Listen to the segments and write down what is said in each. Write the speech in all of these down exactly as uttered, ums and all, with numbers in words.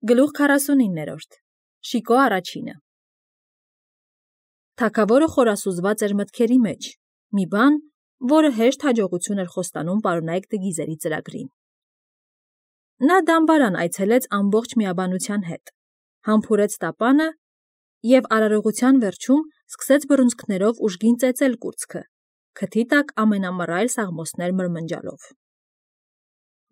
Գլուխ քառասունիններորդ Շիկո առաջինը Թագավորը խորասուզված էր մտքերի մեջ, մի բան, որը հեշտ հաջողություն էր խոստանում պարոնայք Տգիզերի ծրագրին։ Նա դամբարան այցելեց ամբողջ միաբանության հետ, համբուրեց տապանը և արարողության վերջում սկսեց բռունցքներով ուժգին ծեծել կուրծքը, քթի տակ ամենամռայլ սաղմոսներ մրմնջալով։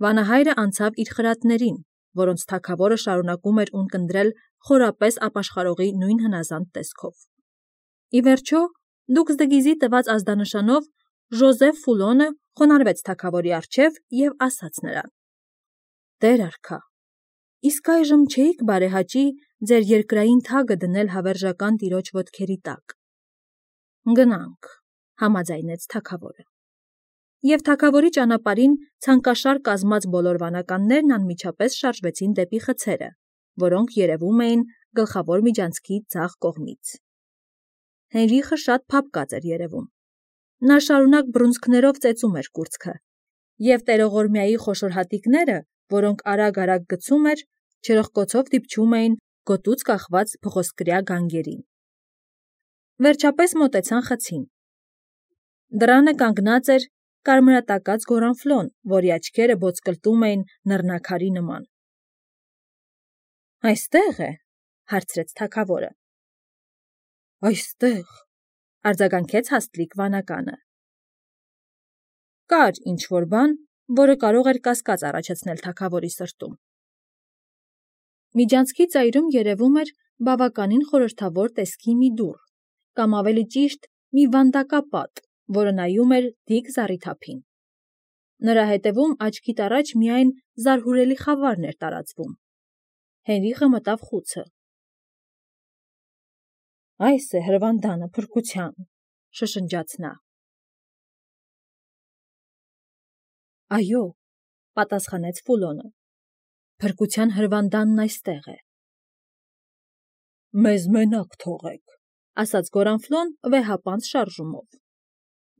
Վանահայրը անցավ իր խրատներին, որոնց թագավորը շարունակում էր ունկնդրել խորապես ապաշխարողի նույն հնազանդ տեսքով։ Ի վերջո, դուքս Դգիզի տված ազդանշանով Ժոզեֆ Ֆուլոնը խոնարհվեց թագավորի առջև և ասաց նրան. «Տեր արքա, իսկ այժմ չէիք բարեհաճի ձեր երկրային թագը դնել հավերժական տիրոջ ոտքերի տակ»։ «Գնանք», համաձայնեց թագավորը։ Եվ թագավորի ճանապարհին ցանկաշար կազմած բոլոր վանականներն անմիջապես շարժվեցին դեպի խցերը, որոնք երևում էին գլխավոր միջանցքի ձախ կողմից։ Հենրիխը շատ փափկած էր երևում։ Նա շարունակ բռունցքներով ծեծում էր կուրծքը, և տերողորմյայի խոշոր հատիկները, որոնք արագ-արագ գցում էր, չրպկոցով դիպչում էին գոտուց կախված փղոսկրյա գանգերին։ Վերջապես մոտեցան խցին։ Դռանը կանգնած էր կարմրատակած Գորանֆլոն, որի աչքերը բոցկլտում էին նռնաքարի նման։ «Այստե՞ղ է», հարցրեց թագավորը։ «Այստեղ», արձագանքեց հաստլիկ վանականը։ Կար ինչ-որ բան, որը կարող էր կասկած առաջացնել թագավորի սրտում։ Միջանցքի ծայրում երևում էր բավականին խորհրդավոր տեսքի մի դուռ, կամ ավելի ճիշտ մի վանդակապատ, որը նայում էր դիք զառիթափին։ Նրա հետևում աչքիդ առաջ միայն զարհուրելի խավարն էր տարածվում։ Հենրիխը մտավ խուցը։ «Այս է հրվանդանը փրկության», շշնջաց նա։ «Այո», պատասխանեց Ֆուլոնը, «փրկության հրվանդանն այստեղ է»։ «Մեզ մենակ թողեք», ասաց Գորանֆլոն վեհապանծ շարժումով։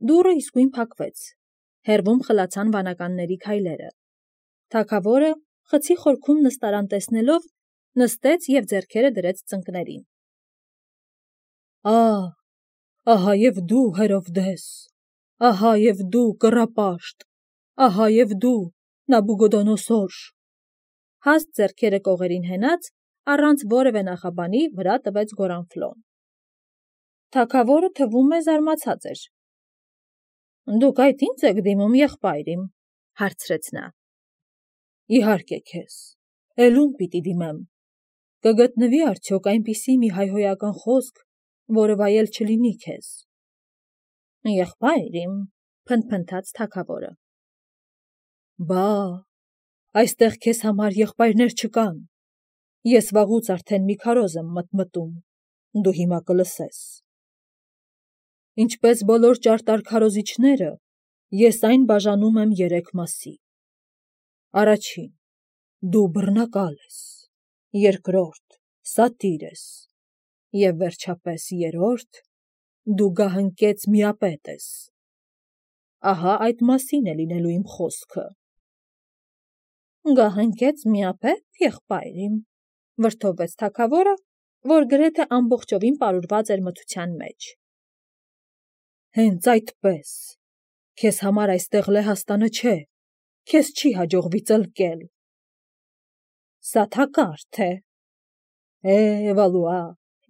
Դուռը իսկույն փակվեց, հեռվում խլացան վանականների քայլերը։ Թագավորը, խցի խորքում նստարան տեսնելով, նստեց և ձեռքերը դրեց ծնկներին։ «Ահ, ահա և դու, Հերովդես, ահա և դու, կռապաշտ, ահա և դու, Նաբուգոդոնոսոր», հաստ ձեռքերը կողերին հենած, առանց որևէ նախաբանի վրա տվեց Գորանֆլոն։ Թագավորը, թվում է, զարմացած էր։ «Դուք այդ ի՞նձ եք դիմում, եղբայր իմ», հարցրեց նա։ «Իհարկե քեզ, էլ ում պիտի դիմեմ, կգտնվի՞ արդյոք այնպիսի մի հայհոյական խոսք, որը վայել չլինի քեզ»։ «Եղբայր իմ», փնթփնթաց թագավորը։ «Բա, այստեղ քեզ համար եղբայրներ չկան, ես վաղուց արդեն մի քարոզ եմ մտմտում, դու հիմա կլսես։ Ինչպես բոլոր ճարտար քարոզիչները, ես այն բաժանում եմ երեք մասի. առաջին, դու բռնակալ ես, երկրորդ, սատիր ես, և վերջապես երրորդ, դու գահընկեց միապետ ես։ Ահա այդ մասին է լինելու իմ խոսքը»։ «Գահընկեց միապե՞տ, եղբայր իմ», վրդովվեց թագավորը, որ գրեթե ամբողջովին պարուրված էր մթության մեջ։ «Հենց այդպես, քեզ համար այստեղ լեհաստանը չէ, քեզ չի հաջողվի ծլկել»։ «Սա թակարդ է»։ «Է, Վալուա,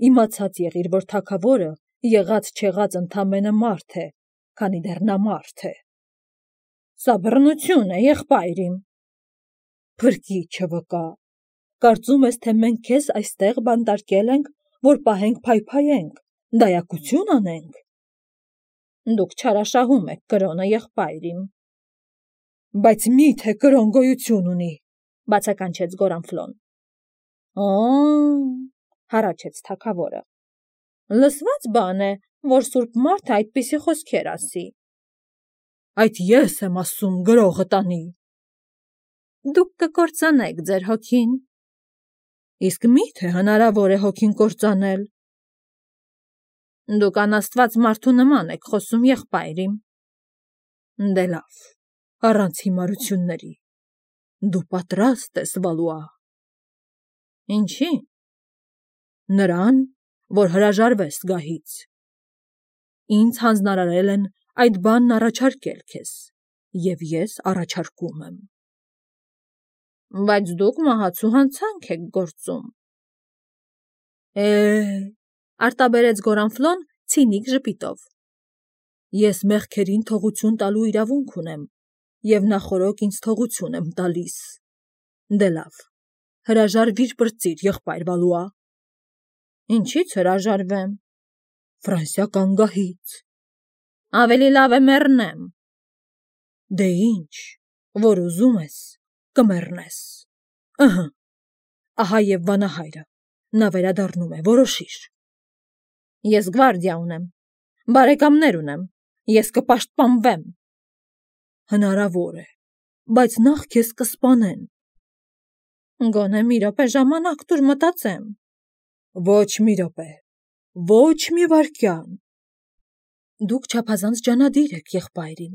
իմացած եղիր, որ թագավորը եղած-չեղած ընդամենը մարդ է, քանի դեռ նա մարդ է»։ «Սա բռնություն է, եղբայր իմ»։ «Փրկիչը վկա, կարծում ես, թե մենք քեզ այստեղ բանտարկել ենք, որ պահենք փայփայենք, դայակություն անենք»։ «Դուք չարաշահում եք կրոնը, եղբայր իմ»։ «Բայց մի՞թե կրոն գոյություն ունի», բացականչեց Գորանֆլոն։ «Օ՜օ», հառաչեց թագավորը, լսվա՞ծ բան է, որ սուրբ մարդը այդպիսի խոսքեր ասի։ «Այդ ես եմ ասում, գրողը տանի»։ «Դուք կկործանեք ձեր հոգին»։ «Իսկ մի՞թե հնարավոր է հոգին կործանել»։ «Դուք անաստված մարդու նման եք խոսում, եղբայր իմ»։ «Դե լավ, առանց հիմարությունների, դու պատրաստ ես, Վալուա»։ Ինչի՞։ Նրան, որ հրաժարվես գահից։ Ինձ հանձնարարել են այդ բանն առաջարկել քեզ, և ես առաջարկում եմ։ Բայց դուք մահացու հանցանք եք գործում։ Է, արտաբերեց Գորանֆլոն ցինիկ ժպիտով։ Ես մեղքերին թողություն տալու իրավունք ունեմ, և նախօրոք ինձ թողություն եմ տալիս։ Դե լավ, հրաժարվիր պրծիր, եղբայր Վալուա։ Ինչի՞ց հրաժարվեմ։ Ֆրանսիական գահից։ Ավելի լավ է մեռնեմ։ Դե ինչ, որ ուզում ես, կմեռնես։ Ըհը, ահա և վանահայրը, նա վերադառնում է, որոշիր։ Ես գվարդիա ունեմ, բարեկամներ ունեմ, ես կպաշտպանվեմ։ Հնարավոր է, բայց նախ քեզ կսպանեն։ Գոնե մի րոպե ժամանակ տուր մտածեմ։ Ոչ մի րոպե, ոչ մի վայրկյան։ Դուք չափազանց ջանադիր եք, եղբայրին,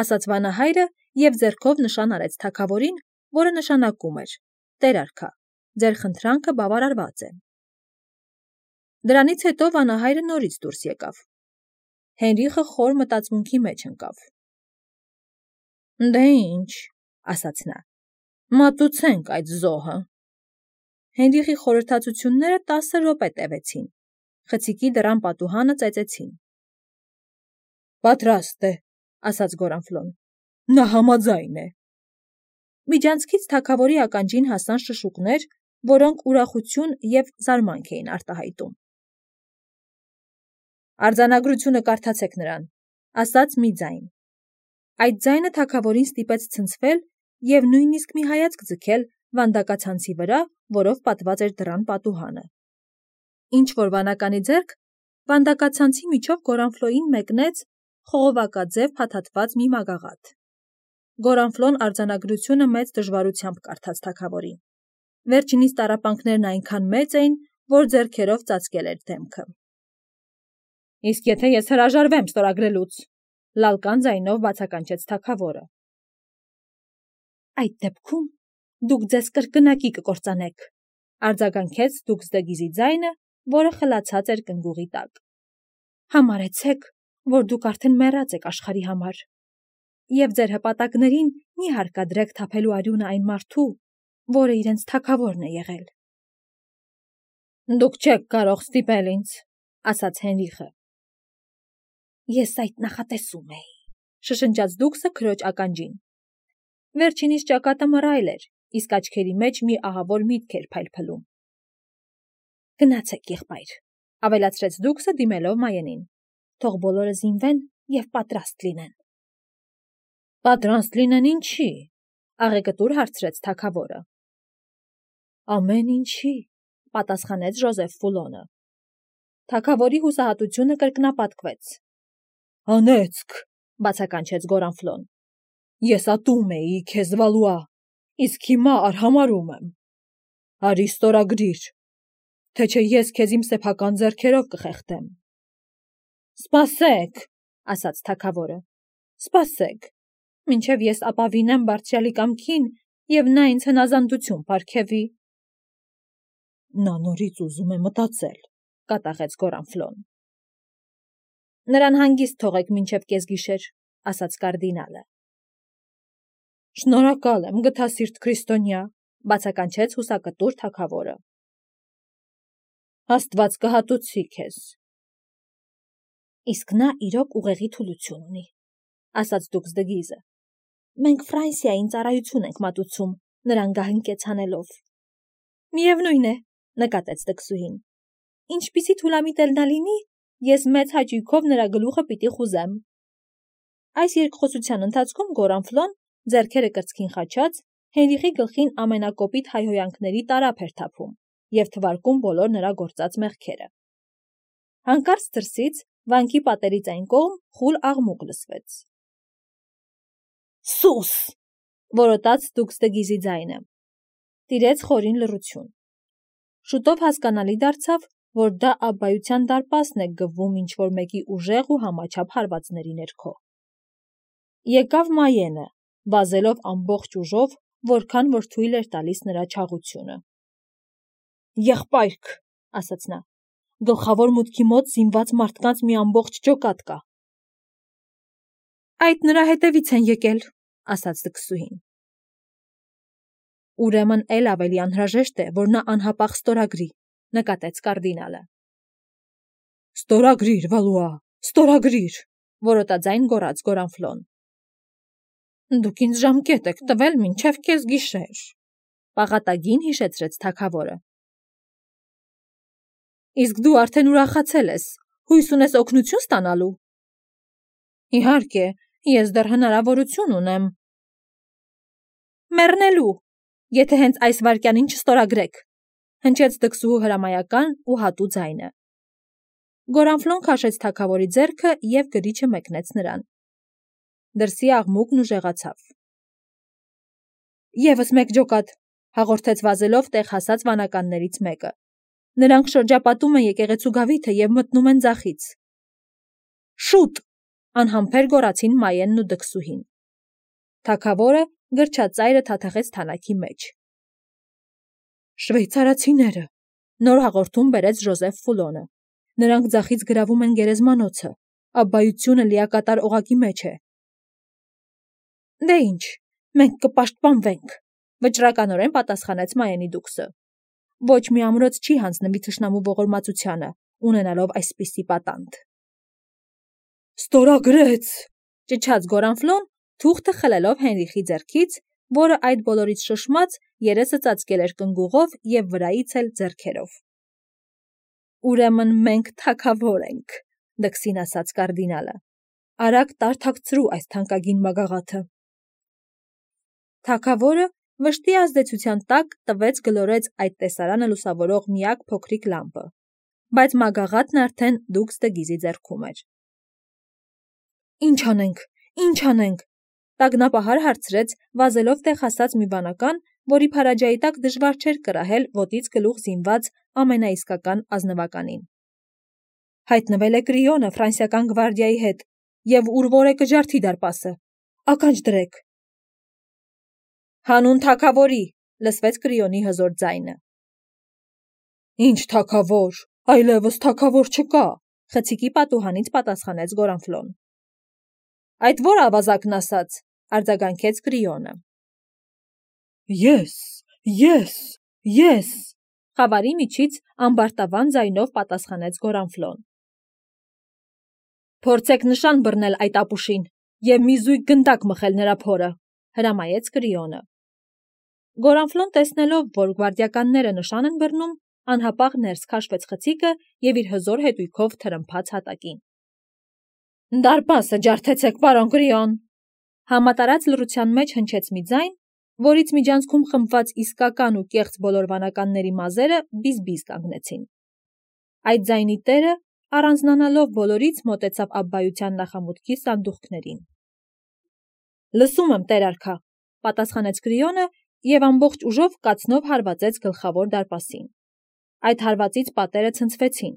ասաց վանահայրը և ձեռքով նշան արեց թագավորին, որը նշանակում էր. Տեր արքա, ձեր խնդրանքը բավարարված է։ Դրանից հետո վանահայրը նորից դուրս եկավ։ Հենրիխը խոր մտածմունքի մեջ ընկավ։ Դե ինչ, ասաց նա, մատուցենք այդ զոհը։ Հենրիխի խորհրդածությունները տասը րոպե տևեցին։ Խցիկի դռան պատուհանը ծեծեցին։ Պատրաստ է, ասաց Գորանֆլոն, նա համաձայն է։ Միջանցքից թագավորի ականջին հասան շշուկներ, որոնք ուրախություն և զարմանք էին արտահայտում։ Արձանագրությունը կարդացեք նրան, ասաց մի ձայն։ Այդ ձայնը թագավորին ստիպեց ցնցվել և նույնիսկ մի հայացք ձգել վանդակացանցի վրա, որով պատված էր դռան պատուհանը։ Ինչ-որ վանականի ձեռք վանդակացանցի միջով Գորանֆլոյին մեկնեց խողովակաձև փաթաթված մի մագաղաթ։ Գորանֆլոն արձանագրությունը մեծ դժվարությամբ կարդաց թագավորին։ Վերջինիս տառապանքներն այնքան մեծ էին, որ ձեռքերով ծածկել էր դեմքը։ Իսկ եթե ես հրաժարվեմ ստորագրելուց, լալկան ձայնով բացականչեց թագավորը։ Այդ դեպքում դուք ձեզ կրկնակի կկործանեք, արձագանքեց Դուքսդեգիզի ձայնը, որը խլացած էր կնգուղի տակ։ Համարեցեք, որ դուք արդեն մեռած եք աշխարհի համար, և ձեր հպատակներին մի հարկադրեք թափելու արյունը այն մարդու, որը իրենց թագավորն է եղել։ Դուք չեք կարող ստիպել ինձ, ասաց Հենրիխը։ Ես այդ նախատեսում էի, շշնջաց Դուքսը քրոջ ականջին։ Վերջինիս ճակատը մռայլ էր, իսկ աչքերի մեջ մի ահավոր միտք էր փայլփլում։ Գնացեք, եղբայր, ավելացրեց Դուքսը դիմելով Մայենին։ Թող բոլորը զինվեն և պատրաստ լինեն։ Պատրաստ լինեն ինչի, աղեկտուր հարցրեց թագավորը։ Ամեն ինչի, պատասխանեց Ժոզեֆ Ֆուլոնը։ Թագավորի հուսահատությունը կրկնապատկվեց։ Անեծք, բացականչեց Գորանֆլոն։ Ես ատում էի քեզ, Վալուա, իսկ հիմա արհամարհում եմ։ Արի ստորագրիր, թե չէ ես քեզ իմ սեփական ձեռքերով կխեղդեմ։ Սպասեք, ասաց թագավորը, սպասեք, մինչև ես ապավինեմ բարձրյալի կամքին, և նա ինձ հնազանդություն պարգևի։ Նա նորից ուզում է մտածել, կատաղեց Գորանֆլոն։ Նրան հանգիստ թողեք մինչև կեսգիշեր, ասաց կարդինալը։ Շնորհակալ եմ, գթասիրտ քրիստոնյա, բացականչեց հուսակտուր թագավորը։ Աստված կհատուցի քեզ։ Իսկ նա իրոք ուղեղի թուլություն ունի, ասաց Դուքսդեգիզը։ Մենք Ֆրանսիային ծառայություն ենք մատուցում, նրան գահընկեց հանելով։ Միևնույն է, նկատեց տկսուհին։ Ինչպիսի թուլամիտ էլ նա լինի, ես մեծ հաճույքով նրա գլուխը պիտի խուզեմ։ Այս երկխոսության ընթացքում Գորանֆլոն, ձեռքերը կրծքին խաչած, Հենրիխի գլխին ամենակոպիտ հայհոյանքների տարափ էր թափում և թվարկում բոլոր նրա գործած մեղքերը։ Հանկարծ դրսից, վանքի պատերից այն կողմ, խուլ աղմուկ լսվեց։ Սուս, որոտաց Դուքսդեգիզի ձայնը։ Տիրեց խորին լռություն։ Շուտով հասկանալի դարձավ, որ դա Աբբայության դարպասն է գվում ինչ-որ մեկի ուժեղ ու համաչափ հարվածների ներքո։ Եկավ Մայենը, վազելով ամբողջ ուժով, որքան որ թույլ էր տալիս նրա չաղությունը։ Եղբայրք, ասաց նա, գլխավոր մուտքի մոտ զինված մարդկանց մի ամբողջ ջոկատ կա։ Այդ նրա հետևից են եկել, ասաց դքսուհին։ Ուրեմն էլ ավելի անհրաժեշտ է, որ նա անհապաղ ստորագրի, նկատեց կարդինալը։ Ստորագրիր, Վալուա, ստորագրիր, որոտաձայն գոռաց Գորանֆլոն։ Դուք ինձ ժամկետ եք տվել մինչև կես գիշեր, պաղատագին հիշեցրեց թագավորը։ Իսկ դու արդեն ուրախացել ես, հույս ունես օգնություն ստանալու։ Իհարկե, ես դեռ հնարավորություն ունեմ։ Մեռնելու, եթե հենց այս վայրկյանին չստորագրեք, հնչեց դքսուհու հրամայական ու հատու ձայնը։ Գորանֆլոն քաշեց թագավորի ձեռքը և գրիչը մեկնեց նրան։ Դրսի աղմուկն ուժեղացավ։ Եվս մեկ ջոկատ, հաղորդեց վազելով տեղ հասած վանականներից մեկը։ Նրանք շրջապատում են եկեղեցու գավիթը և մտնում են ձախից։ Շուտ, անհամբեր գոռացին Մայենն ու դքսուհին։ Թագավորը գրչածայրը թաթախեց թանաքի մեջ։ Շվեյցարացիները, նոր հաղորդում բերեց Ժոզեֆ Ֆուլոնը։ Նրանք ձախից գրավում են գերեզմանոցը, աբբայությունը լիակատար օղակի մեջ է։ Դե ինչ, մենք կպաշտպանվենք, վճռականորեն պատասխանեց Մայենի դուքսը։ Ոչ մի ամրոց չի հանձնվի թշնամու ողորմածությանը, ունենալով այսպիսի պատանդ։ Ստորագրեց, ճչաց Գորանֆլոն, թուղթը խլելով Հենրիխի ձեռքից, որը այդ բոլորից շշմած երեսը ծածկել էր կնգուղով և վրայից էլ ձեռքերով։ Ուրեմն մենք թագավոր ենք, դքսին ասաց կարդինալը։ Արագ տարթակցրու այս թանկագին մագաղաթը։ Թագավորը վշտի ազդեցության տակ տվեց գլորեց այդ տեսարանը լուսավորող միակ փոքրիկ լամպը, բայց մագաղաթն արդեն դուքս դգիզի ձեռքում էր։ Ինչ անենք, ինչ անենք, տագնապահար հարցրեց վազելով տեղ հասած մի վանական, որի փարաջայի տակ դժվար չէր կրահել ոտից գլուխ զինված ամենաիսկական ազնվականին։ Հայտնվել է Կրիոնը ֆրանսիական գվարդիայի հետ և ուր որ է կջարդի դարպասը։ Ականջ դրեք։ Հանուն թագավորի, լսվեց Կրիոնի հզոր ձայնը։ Ինչ թագավոր, այլևս թագավոր չկա, խցիկի պատուհանից պատասխանեց Գորանֆլոն։ Այդ ո՞ր ավազակն ասաց, արձագանքեց Կրիոնը։ Ես, ես, ես, խավարի միջից ամբարտավան ձայնով պատասխանեց Գորանֆլոն։ Փորձեք նշան բռնել այդ ապուշին և մի զույգ գնդակ մխել նրա փորը, հրամայեց Կրիոնը։ Գորանֆլոն տեսնելով, որ գվարդիականները նշան են բռնում, անհապաղ ներս քաշվեց խցիկը և իր հզոր հետույքով թրմփաց հատակին։ Դարպասը ջարդեցեք, պարոն Կրիոն, համատարած լռության մեջ հնչեց մի ձայն, որից միջանցքում խմբված իսկական ու կեղծ բոլոր վանականների մազերը բիզ-բիզ կանգնեցին։ Այդ ձայնի տերը, առանձնանալով բոլորից, մոտեցավ աբբայության նախամուտքի սանդուղքներին։ Լսում եմ, տեր արքա, պատասխանեց Կրիոնը և ամբողջ ուժով կացնով հարվածեց գլխավոր դարպասին։ Այդ հարվածից պատերը ցնցվեցին։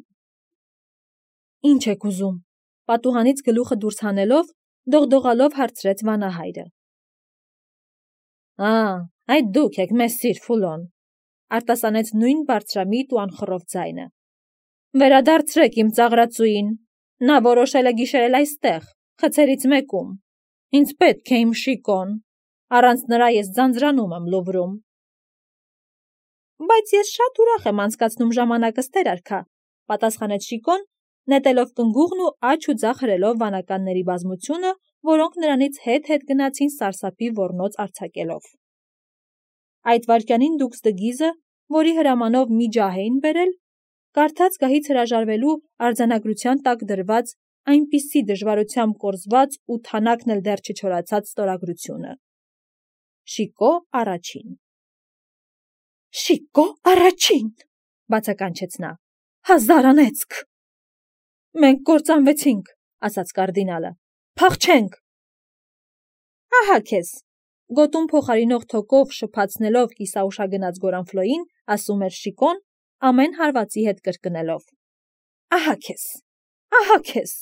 Ինչ եք ուզում, պատուհանից գլուխը դուրս հանելով, դողդողալով հարցրեց վանահայրը։ Ա, այդ դուք եք, մեսսիր Ֆուլոն, արտասանեց նույն բարձրամիտ ու անխռով ձայնը։ Վերադարձրեք իմ ծաղրածուին, նա որոշել է գիշերել այստեղ, խցերից մեկում։ Ինձ պետք է իմ Շիկոն, առանց նրա ես ձանձրանում եմ Լուվրում։ Բայց ես շատ ուրախ եմ անցկացնում ժամանակս, տեր արքա, պատասխանեց Շիկոն, նետելով կնգուղն ու աջ ու ձախ հրելով վանականների բազմությունը, որոնք նրանից հետ-հետ գնացին սարսափի ոռնոց արձակելով։ Այդ վայրկյանին դուքս դգիզը, որի հրամանով մի ջահ էին բերել, կարդաց գահից հրաժարվելու արձանագրության տակ դրված այնպիսի դժվարությամբ կորզված ու թանակն էլ դեռ չչորացած ստորագրությունը։ Շիկո առաջին։ Շիկո առաջին, բացականչեց նա, հազար անեծք։ Մենք կործանվեցինք, ասաց կարդինալը, փախչենք։ Ահա քեզ, գոտուն փոխարինող թոկով շփացնելով կիսաուշագնաց Գորանֆլոյին, ասում էր Շիկոն, ամեն հարվածի հետ կրկնելով. Ահա քեզ, ահա քեզ։